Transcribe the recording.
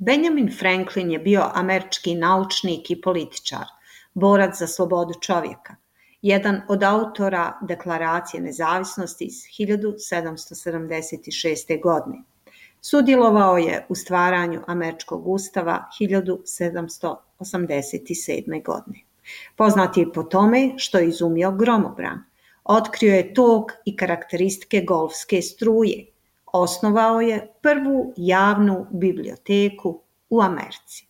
Benjamin Franklin je bio američki naučnik i političar, borac za slobodu čovjeka, jedan od autora Deklaracije nezavisnosti iz 1776. godine. Sudjelovao je u stvaranju američkog ustava 1787. godine. Poznat je po tome što je izumio gromobran, otkrio je tok i karakteristike golfske struje, osnovao je prvu javnu biblioteku u Americi.